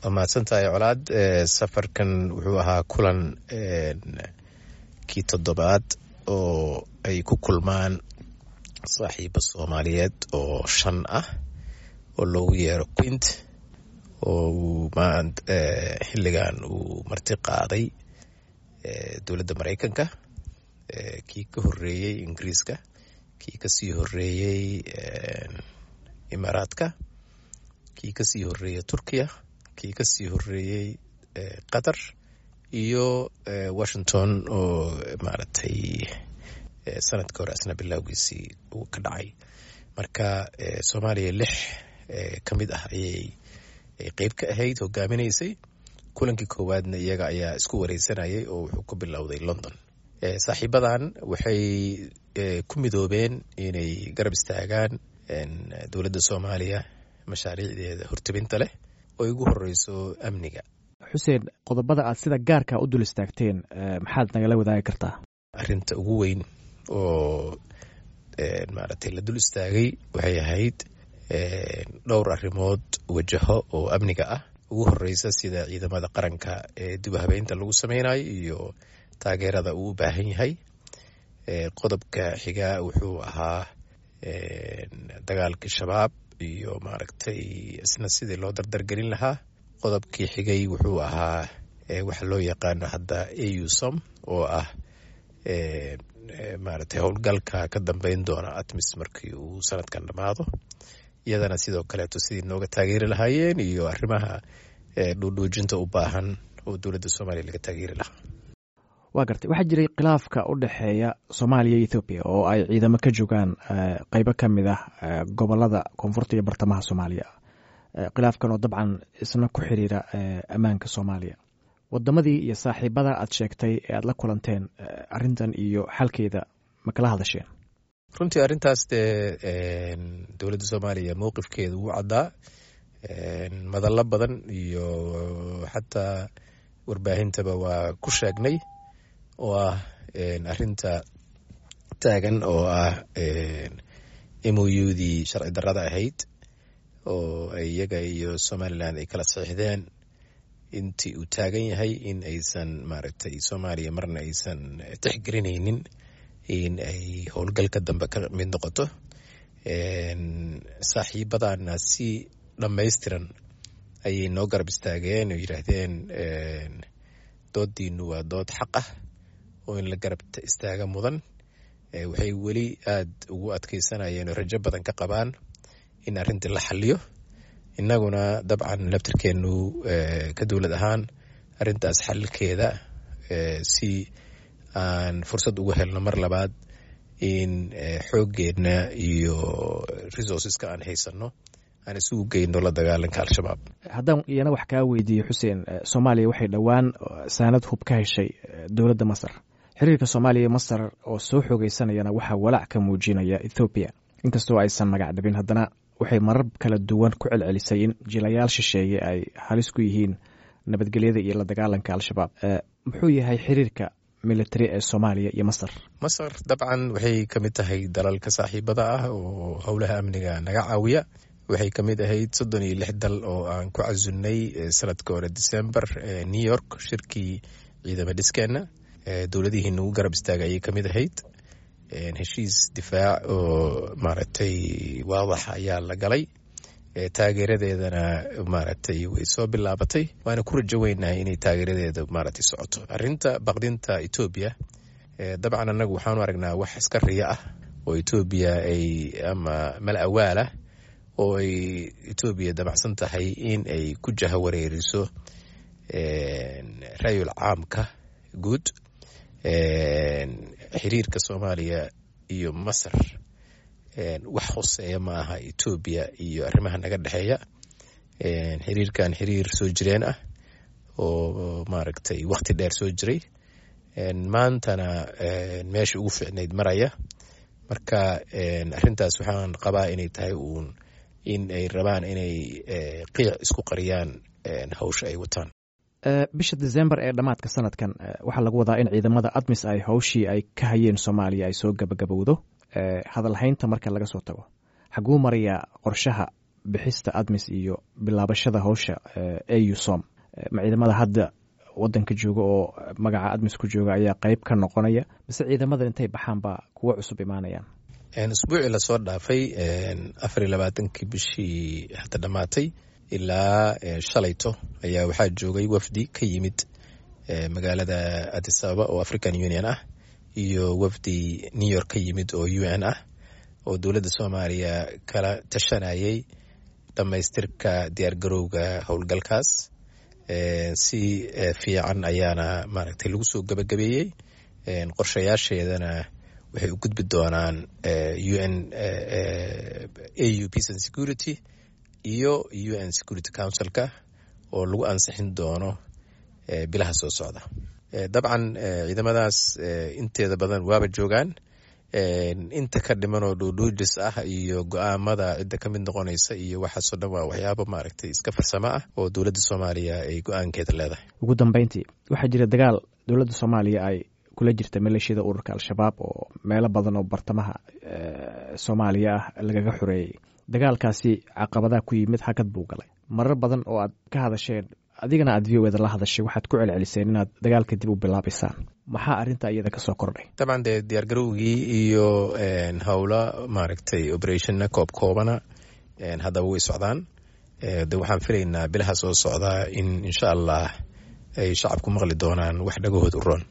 Waa mahadsantahay, Colaad. Safarkan wuxuu ahaa kulan kii toddobaad oo ay ku kulmaan saaxiibo Soomaaliyeed oo shan ah oo loogu yeero Quint, oo uu xilligan uu marti qaaday dowladda Maraykanka. Kii ka horeeyey Ingiriiska, kii kasii horeeyey Imaaraadka, kii kasii horeeyey Turkiya, kii kasii horeeyey Qatar iyo Washington oo maaragtay sanadka hore asna bilowgiisii uu ka dhacay. Marka Soomaaliya lix ka mid ah ayay qeyb ka ahayd, hogaaminaysay. Kulankii koowaadna iyaga ayaa isku wareysanayay oo wuxuu ku bilowday London. Saaxiibadan waxay ku midoobeen inay garab istaagaan dowladda Soomaaliya mashaariicdeeda hortebinta leh oo ugu horeyso amniga. Xuseen, qodobada aad sida gaarka u dul istaagteen maxaad nagala wadaagi kartaa? Arinta ugu weyn oo maaragtay la dul istaagay waxay ahayd dhowr arrimood wajaho oo amniga ah. Ugu horeysa sida ciidamada qaranka ee dib habeynta lagu sameynayo iyo taageerada uu u baahan yahay. Qodobka xigaa wuxuu ahaa dagaalkii Shabaab iyo maaragtay isna sidii loo dardargelin lahaa. Qodobkii xigay wuxuu ahaa waxa loo yaqaano hadda AUSSOM, oo ah maaragtay howlgalka ka dambeyn doona ATMIS markii uu sanadkan dhammaado, iyadana sidoo kaleeto sidii nooga taageeri lahaayeen iyo arrimaha dhuudhuujinta u baahan oo dowladda Soomaaliya laga taageeri lahaa. Waa gartay. Waxaa jiray khilaafka u dhexeeya Soomaaliya iyo Ethoobiya oo ay ciidamo ka joogaan qeybo ka mid ah gobolada koonfurta iyo bartamaha Soomaaliya, khilaafkan oo dabcan isna ku xiriira ammaanka Soomaaliya. Wadamadii iyo saaxiibada aad sheegtay ee aad la kulanteen, arrintan iyo xalkeeda ma kala hadasheen? Runtii arrintaas dee dowladda Soomaaliya mowqifkeeda wuu caddaa. Madallo badan iyo xataa warbaahintaba waa ku sheegnay, oo ah arrinta taagan oo ah MOU-dii sharci darrada ahayd oo iyaga iyo Somaliland ay kala saxiixdeen intii uu taagan yahay, in aysan maaragtay Soomaaliya marna aysan tixgelinaynin in ay howlgalka dambe ka mid noqoto. Saaxiibadana si dhammaystiran ayay noo garab istaageen oo yidhaahdeen doodiinu waa dood xaq ah oo in la garab istaaga mudan. Waxay weli aada ugu adkeysanayeen oo rajo badan ka qabaan in arrintii la xaliyo. Innaguna dabcan laftirkeenu ka dowlad ahaan arrintaas xalilkeeda si aan fursad ugu helno mar labaad in xooggeenna iyo resourceska aan haysano aan isugu geyno la dagaalanka Al-Shabaab. Haddaan iyana wax kaa weydiiyo, Xuseen, Soomaaliya waxay dhowaan saanad hub ka heshay dowladda Masar. Xiriirka Soomaaliya iyo Masar oo soo xoogeysanayana waxaa walaac ka muujinaya Ethoobiya. Inkastoo aysan magac dhabin, haddana waxay marar kala duwan ku celcelisay in jilayaal shisheeye ay halis ku yihiin nabadgelyada iyo la dagaalanka Al-Shabaab. Muxuu yahay xiriirka military ee Soomaaliya iyo Masar? Masar dabcan waxay ka mid tahay dalalka saaxiibada ah oo howlaha amniga naga caawiya. Waxay ka mid ahayd 36 dal oo aan ku casunnay sanadka hore December New York shirkii ciidama dhiskeenna. Dowladihii nagu garab istaagay ayay ka mid ahayd. Heshiis difaac oo maaragtay waadax ayaa la galay, taageeradeedana maaragtay way soo bilaabatay, waana ku rajo weynahay inay taageeradeeda maaragtay socoto. Arrinta baqdinta Etoobiya dabcan annagu waxaanu aragnaa wax iska riya ah oo Etoobiya ay ama mal awaal ah oo ay Etoobiya dabacsan tahay in ay ku jahawareeriso rayul caamka guud. Xiriirka Soomaaliya iyo Masar wax hoseeya ma aha Etoobiya iyo arrimaha naga dhexeeya. Xiriirkan xiriir soo jireen ah oo maaragtay waqti dheer soo jiray, maantana meesha ugu fiicnayd maraya. Marka arrintaas waxaan qabaa inay tahay uun in ay rabaan inay qiic isku qariyaan hawsha ay wataan. Bisha December ee dhammaadka sanadkan waxaa lagu wadaa in ciidamada ATMIS ay howshii ay ka hayeen Soomaaliya ay soo gabagabowdo. Hadalhaynta marka laga soo tago, xaguu marayaa qorshaha Bixista ATMIS iyo bilaabashada howsha AUSSOM, ma ciidamada hadda wadanka jooga oo magaca ATMIS ku jooga ayaa qeyb ka noqonaya, mise ciidamada intay baxaan baa kuwo cusub imaanayaan? Usbuucii lasoo dhaafay, 24-kii bishii hadda dhammaatay, ilaa shalayto ayaa waxaa joogay wafdi ka yimid magaalada Addis Ababa oo African Union ah iyo wafdi New York ka yimid oo UN ah, oo dowladda Soomaaliya kala tashanayay dhammaystirka diyaargarowga howlgalkaas. Si fiican ayaana maaragtay lagu soo gabagabeeyey. Qorshayaasheedana waxay u gudbi doonaan UN, AU Peace and Security iyo UN Security Councilka oo lagu ansixin doono bilaha soo socda. Dabcan ciidamadaas inteeda badan waaba joogaan. Inta ka dhiman oo dhuudhuujis ah iyo go-aamada cidda ka mid noqonaysa iyo waxaasoo dhan waa waxyaabo maaragtay iska farsamo ah oo dowladda Soomaaliya ay go-aankeeda leedahay. Ugu dambeyntii, waxaa jira dagaal dowladda Soomaaliya ay kula jirta maleeshiyada ururka Al-Shabaab oo meelo badan oo bartamaha Soomaaliya ah lagaga xoreeyey. Dagaalkaasi caqabadaha ku yimid, hakad buu galay. Marar badan oo aad ka hadasheen, adigana aad VOA da la hadashay, waxaad ku celceliseen inaad dagaalka dib u bilaabaysaan. Maxaa arrinta iyada kasoo kordhay? Dabcan dee diyaargarowgii iyo howlo maaragtay operationna koob koobana haddaba way socdaan. De waxaan filaynaa bilaha soo socdaa in insha Allah ay shacabku maqli doonaan wax dhagahood u roon.